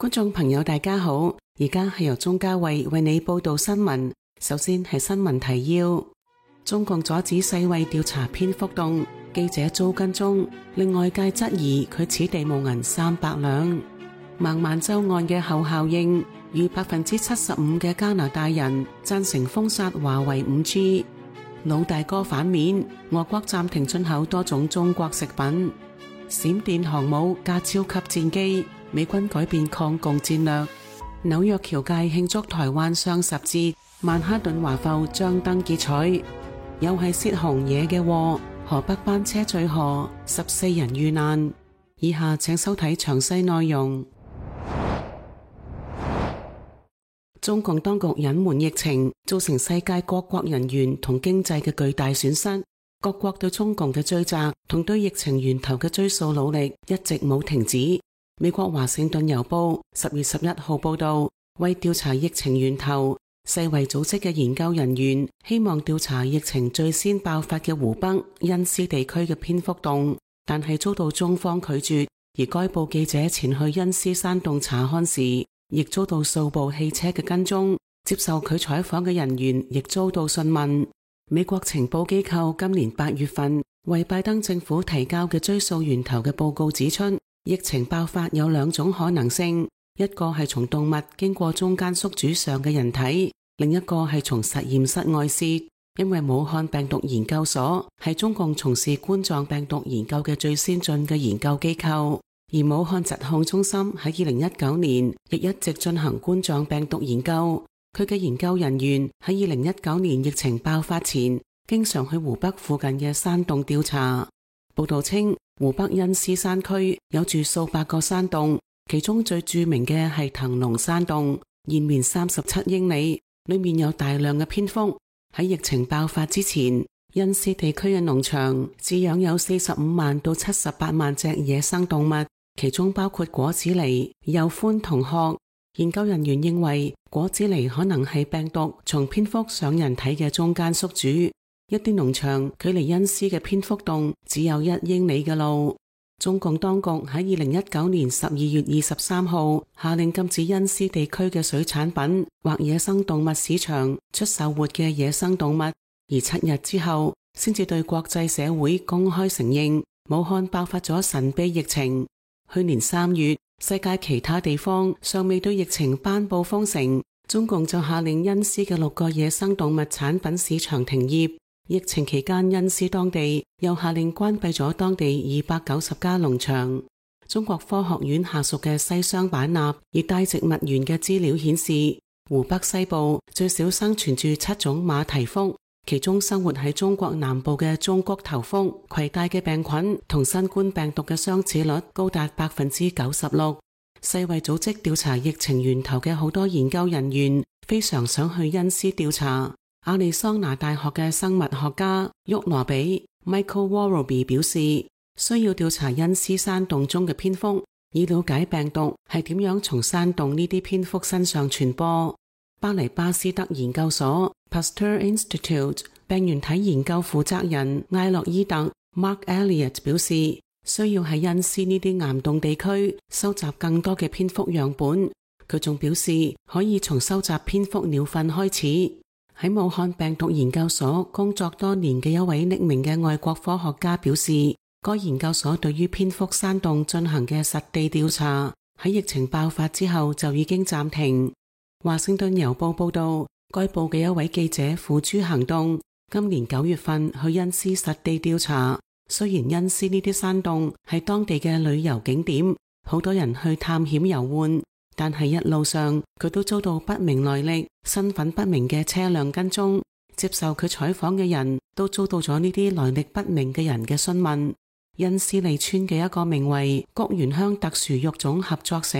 觀眾朋友大家好，而家係由鍾嘉慧為你報道新聞。首先係新聞提要：中共阻止世衛調查蝙蝠洞，記者遭跟蹤，令外界質疑佢此地無銀300兩。孟晚舟案嘅後效應，逾75%嘅加拿大人贊成封殺華為 5G。老大哥反面，俄國暫停進口多種中國食品。閃電航母加超級戰機，美軍改變抗共戰略。紐約僑界慶祝台灣雙十節，曼哈頓華埠張燈結彩。又係洩洪惹嘅禍，河北班車墜河，14人遇難。以下請收睇詳細內容。中共當局隱瞞疫情，造成世界各國人員同經濟嘅巨大損失。各國對中共嘅追責同對疫情源頭嘅追溯努力一直冇停止。美國華盛頓郵報10月11號報道，為調查疫情源頭，世衛組織嘅研究人員希望調查疫情最先爆發嘅湖北恩施地區嘅蝙蝠洞，但係遭到中方拒絕。而該報記者前去恩施山洞查看時，亦遭到數部汽車嘅跟蹤，接受佢採訪嘅人員亦遭到訊問。美國情報機構今年8月份為拜登政府提交嘅追溯源頭嘅報告指出，疫情爆發有兩種可能性，一個係從動物經過中間宿主上嘅人體，另一個係從實驗室外泄。因為武漢病毒研究所係中共從事冠狀病毒研究嘅最先進嘅研究機構，而武漢疾控中心喺2019年亦一直進行冠狀病毒研究。佢嘅研究人員喺2019年疫情爆發前，經常去湖北附近嘅山洞調查。報道稱，湖北恩施山區有住數百個山洞，其中最著名嘅係騰龍山洞，延綿37英里，裏面有大量嘅蝙蝠。喺疫情爆發之前，恩施地區嘅農場飼養有45萬到78萬隻野生動物，其中包括果子狸、鼬獾同鶴。研究人員認為，果子狸可能係病毒從蝙蝠上人體嘅中間宿主。一啲農場距離恩施嘅蝙蝠洞只有1英里嘅路。中共當局喺2019年12月23號下令禁止恩施地區嘅水產品或野生動物市場出售活嘅野生動物，而7日之後先至對國際社會公開承認武漢爆發咗神秘疫情。去年3月，世界其他地方尚未對疫情頒布封城，中共就下令恩施嘅6個野生動物產品市場停業。疫情期間，恩施當地又下令關閉咗當地290家農場。中國科學院下屬嘅西雙版納熱帶植物園嘅資料顯示，湖北西部最少生存住7種馬蹄蝠，其中生活喺中國南部嘅中谷頭蝠攜帶嘅病菌同新冠病毒嘅相似率高達96%。世衛組織調查疫情源頭嘅好多研究人員非常想去恩施調查。亞利桑那大學嘅生物學家沃羅比 Michael Warroby 表示，需要調查恩施山洞中嘅蝙蝠，以了解病毒係點樣從山洞呢啲蝙蝠身上傳播。巴黎巴斯德研究所 Pasteur Institute 病原體研究負責人艾洛伊特 Mark Elliott 表示，需要喺恩施呢啲岩洞地區收集更多嘅蝙蝠樣本。佢仲表示，可以從收集蝙蝠鳥糞開始。喺武漢病毒研究所工作多年嘅一位匿名嘅外國科學家表示，該研究所對於蝙蝠山洞進行嘅實地調查喺疫情爆發之後就已經暫停。華盛頓郵報報道，該報嘅一位記者付諸行動，今年9月份去恩施實地調查。雖然恩施呢啲山洞係當地嘅旅遊景點，好多人去探險遊玩，但係一路上佢都遭到不明來歷、身份不明嘅車輛跟蹤。接受佢採訪嘅人都遭到咗呢啲來歷不明嘅人嘅詢問。恩施利村嘅一個名為菊園鄉特殊育種合作社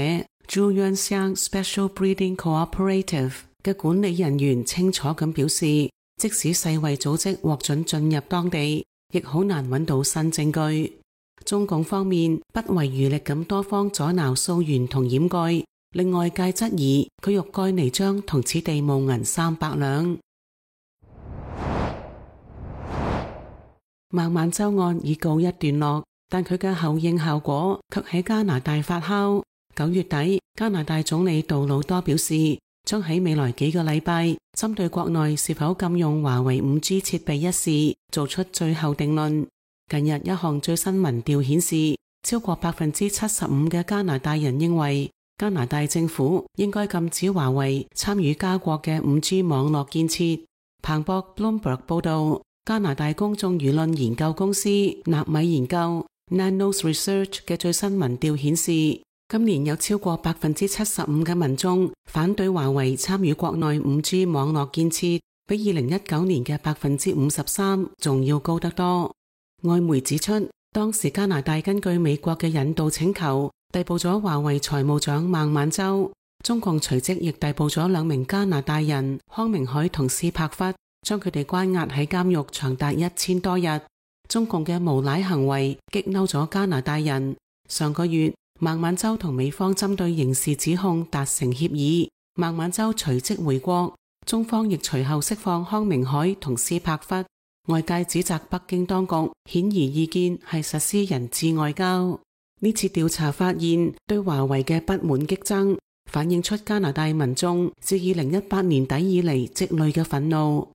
Zhuyanxiang Special Breeding Cooperative 嘅管理人員清楚咁表示，即使世衛組織獲准進入當地，亦好難揾到新證據。中共方面不遺餘力咁多方阻撓溯源同掩蓋，令外界質疑佢欲蓋彌彰同此地無銀300兩。孟晚舟案已告一段落，但佢嘅後應效果卻喺加拿大發酵。9月底，加拿大總理杜魯多表示，將喺未來幾個禮拜針對國內是否禁用華為 5G 設備一事做出最後定論。近日一項最新民調顯示，超過 75% 嘅加拿大人認為加拿大政府應該禁止華為參與加國嘅 5G 網絡建設。彭博 Bloomberg 報道，加拿大公眾輿論研究公司納米研究 Nanos Research 嘅最新民調顯示，今年有超過 75% 嘅民眾反對華為參與國內 5G 網絡建設，比2019年嘅 53% 仲要高得多。外媒指出，當時加拿大根據美國嘅引渡請求，逮捕咗華為財務長孟晚舟，中共隨即亦逮捕咗2名加拿大人康明凱同斯帕弗，將佢哋關押喺監獄長達1000多日。中共嘅無賴行為激嬲咗加拿大人。上個月，孟晚舟同美方針對刑事指控達成協議，孟晚舟隨即回國，中方亦隨後釋放康明凱同斯帕弗。外界指責北京當局顯而易見係實施人質外交。呢次調查發現對華為嘅不滿激增，反映出加拿大民眾自2018年底以嚟積累嘅憤怒。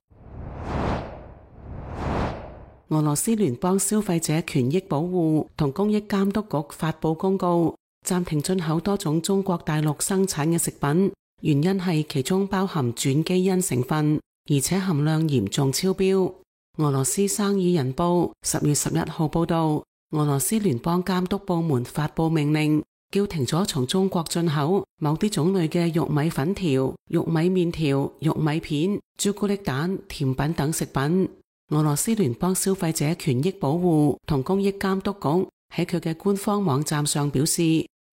俄羅斯聯邦消費者權益保護同公益監督局發佈公告，暫停進口多種中國大陸生產嘅食品，原因係其中包含轉基因成分，而且含量嚴重超標。俄羅斯生意人報10月11號報道，俄羅斯聯邦監督部門發佈命令，叫停咗從中國進口某啲種類嘅玉米粉條、玉米麵條、玉米片、朱古力蛋、甜品等食品。俄羅斯聯邦消費者權益保護同公益監督局喺佢嘅官方網站上表示，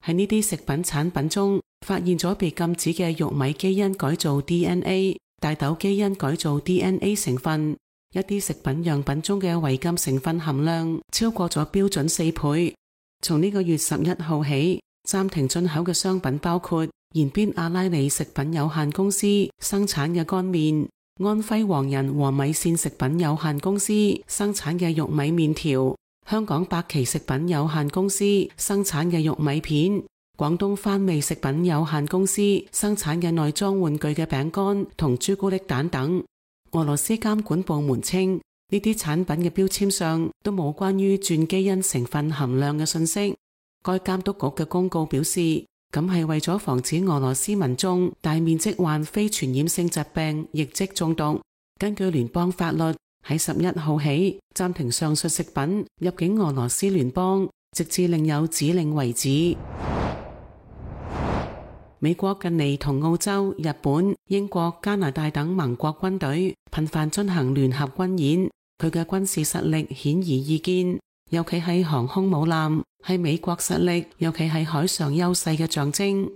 喺呢啲食品產品中發現咗被禁止嘅玉米基因改造 DNA、大豆基因改造 DNA 成分。一啲食品樣品中嘅違禁成分含量超過咗標準4倍。從呢個月11號起，暫停進口嘅商品包括延邊阿拉里食品有限公司生產嘅乾麵、安徽黃仁和米線食品有限公司生產嘅玉米麵條、香港百奇食品有限公司生產嘅玉米片、廣東番味食品有限公司生產嘅內裝玩具嘅餅乾同朱古力蛋等。俄羅斯監管部門稱，呢啲產品嘅標籤上都冇關於轉基因成分含量嘅信息。該監督局嘅公告表示，咁係為咗防止俄羅斯民眾大面積患非傳染性疾病亦即中毒。根據聯邦法律，喺11號起暫停上述食品入境俄羅斯聯邦，直至另有指令為止。美國近嚟同澳洲、日本、英國、加拿大等盟國軍隊頻繁進行聯合軍演，佢嘅軍事實力顯而易見，尤其係航空母艦，係美國實力，尤其係海上優勢嘅象徵。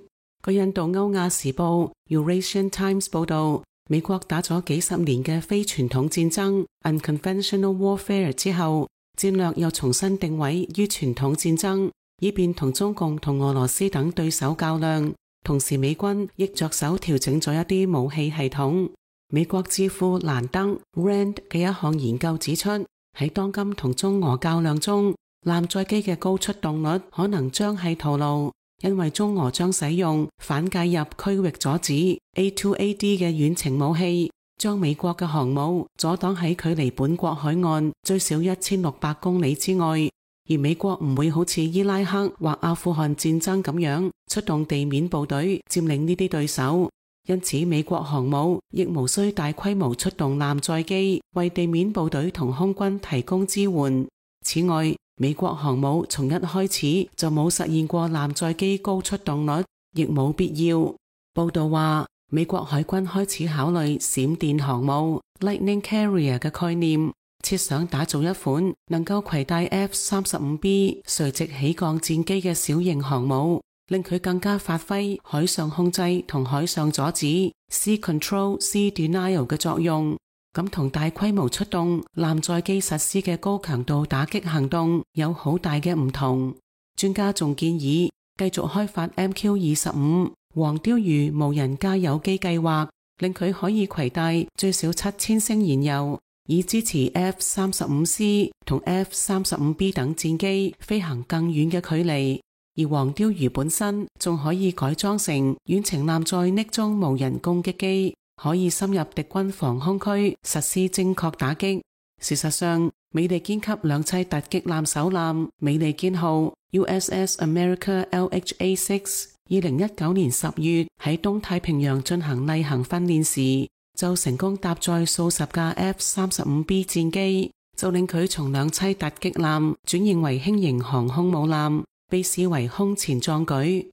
據印度歐亞時報 Eurasian Times 報道，美國打咗幾十年嘅非傳統戰爭 Unconventional Warfare 之後，戰略又重新定位於傳統戰爭，以便同中共同俄羅斯等對手較量。同時，美軍亦着手調整咗一啲武器系統。美國智庫蘭德 Rand 嘅一項研究指出，喺當今同中俄較量中，艦載機嘅高出動率可能將係徒勞，因為中俄將使用反介入區域阻止 A2AD 嘅遠程武器，將美國嘅航母阻擋喺距離本國海岸最少1600公里之外。而美國唔會好似伊拉克或阿富汗戰爭咁樣出動地面部隊佔領呢啲對手，因此美國航母亦無需大規模出動艦載機為地面部隊同空軍提供支援。此外，美國航母從一開始就冇實現過艦載機高出動率，亦冇必要。報道話，美國海軍開始考慮閃電航母 Lightning Carrier 嘅概念，設想打造一款能夠攜帶 F-35B 垂直起降戰機嘅小型航母，令佢更加發揮海上控制同海上阻止 Sea Control, Sea Denial 嘅作用。咁同大規模出動艦載機實施嘅高強度打擊行動有好大嘅唔同。專家仲建議繼續開發 MQ-25 黃鯛魚無人加油機計劃，令佢可以攜帶最少7000升燃油，以支持 F-35C 同 F-35B 等戰機飛行更遠嘅距離。而黃鯛魚本身仲可以改裝成遠程艦載匿蹤無人攻擊機，可以深入敵軍防空區實施精確打擊。事實上，美利堅級兩棲突擊艦首艦美利堅號 USS America LHA-6 2019年10月喺東太平洋進行例行訓練時，就成功搭載數十架 F-35B 戰機，就令佢從兩棲突擊艦轉型為輕型航空母艦，被視為空前壯舉。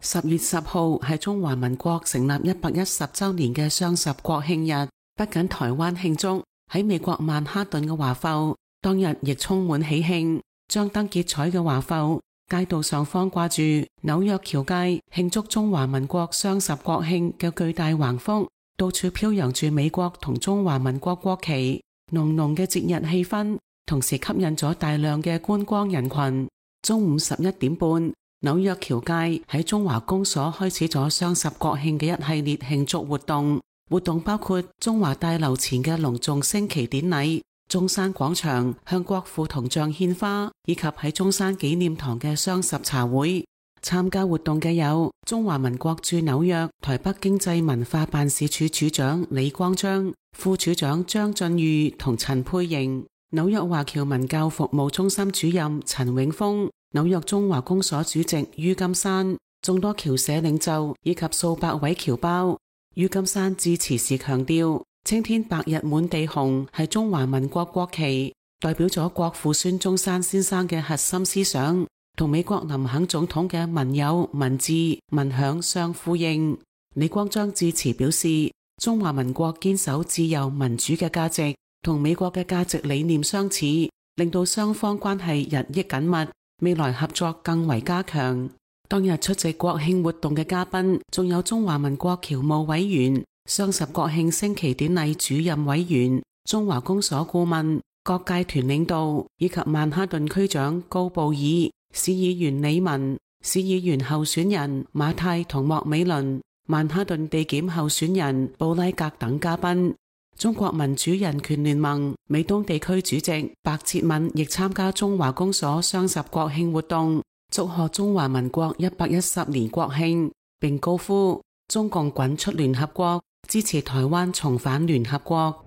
10月10號係中華民國成立110週年嘅雙十國慶日，不僅台灣慶祝，喺美國曼哈頓嘅華埠當日亦充滿喜慶。張燈結綵嘅華埠街道上方掛住紐約橋街慶祝中華民國雙十國慶嘅巨大橫幅，到處飄揚住美國同中華民國國旗，濃濃嘅節日氣氛，同時吸引咗大量嘅觀光人群。中午11點半，紐約橋街喺中華公所開始咗雙十國慶嘅一系列慶祝活動。活動包括中華大樓前嘅隆重升旗典禮、中山廣場向國父銅像獻花，以及喺中山紀念堂嘅雙十茶會。參加活動嘅有中華民國駐紐約台北經濟文化辦事處處長李光章、副處長張俊裕同陳佩瑩，紐約華僑文教服務中心主任陳永峰，紐約中華公所主席于金山，眾多僑社領袖以及數百位僑胞。于金山致辭時強調，青天白日滿地紅係中華民國國旗，代表咗國父孫中山先生嘅核心思想，同美國林肯總統嘅民有、民治、民享相呼應。李光章致辭表示，中華民國堅守自由民主嘅價值，同美國嘅價值理念相似，令到雙方關係日益緊密，未來合作更為加強。當日出席國慶活動嘅嘉賓，仲有中華民國僑務委員、雙十國慶升旗典禮主任委員、中華公所顧問、各界團領導，以及曼哈頓區長高布爾、市議員李文、市議員候選人馬泰同莫美倫、曼哈頓地檢候選人布拉格等嘉賓。中國民主人權聯盟美東地區主席白哲敏亦參加中華公所雙十國慶活動，祝賀中華民國110年國慶，並高呼中共滾出聯合國，支持台灣重返聯合國。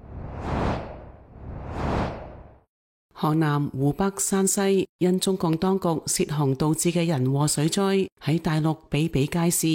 河南、湖北、山西因中共當局泄洪導致嘅人禍水災喺大陸比比皆是，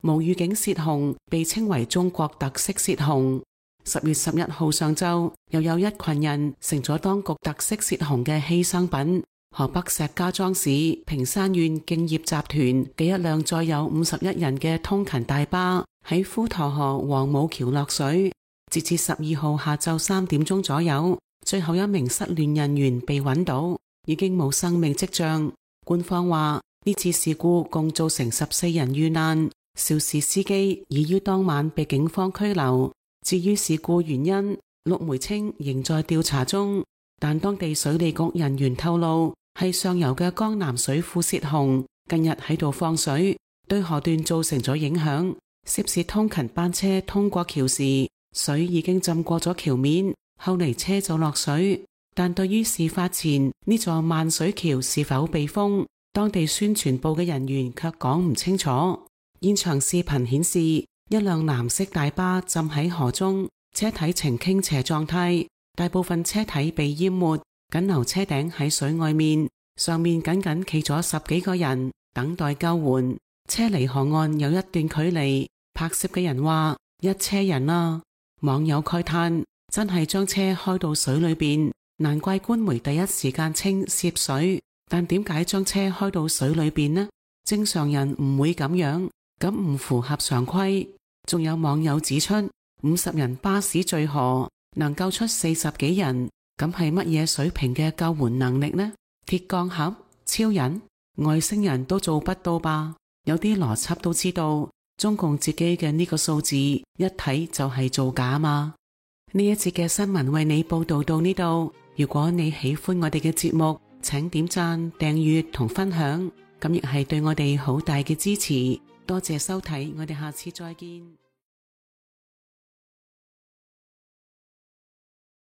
無預警泄洪被稱為中國特色泄洪。10月11號上晝，又有一群人成咗當局特色泄洪嘅犧牲品。河北石家莊市平山縣敬業集團嘅一輛載有51人嘅通勤大巴喺滹沱河黃母橋落水，截至12號下晝3點鐘左右，最後一名失聯人員被揾到，已經冇生命跡象。官方話呢次事故共造成14人遇難，肇事司機已於當晚被警方拘留。至於事故原因，陸媒稱仍在調查中，但當地水利局人員透露，係上游嘅江南水庫泄洪，近日喺度放水，對河段造成咗影響。涉事通勤班車通過橋時，水已經浸過咗橋面，後嚟車就落水。但對於事發前呢座萬水橋是否被封，當地宣傳部嘅人員卻講唔清楚。現場視頻顯示，一輛藍色大巴浸喺河中，車體呈傾斜狀態，大部分車體被淹沒，僅留車頂喺水外面，上面僅僅企咗10幾個人等待救援。車離河岸有一段距離，拍攝嘅人話一車人啊，網友慨嘆真係將車開到水裏邊，難怪官媒第一時間稱涉水，但點解將車開到水裏邊呢？正常人唔會咁樣，咁唔符合常規。仲有網友指出，50人巴士墜河能救出40幾人，咁係乜嘢水平嘅救援能力呢？鐵鋼俠、超人、外星人都做不到吧？有啲邏輯都知道，中共自己嘅呢個數字一睇就係造假嘛。呢一節嘅新聞為你報道到呢度，如果你喜歡我哋嘅節目，請點讚、訂閱同分享，咁亦係對我哋好大嘅支持。多謝收睇，我哋下次再見。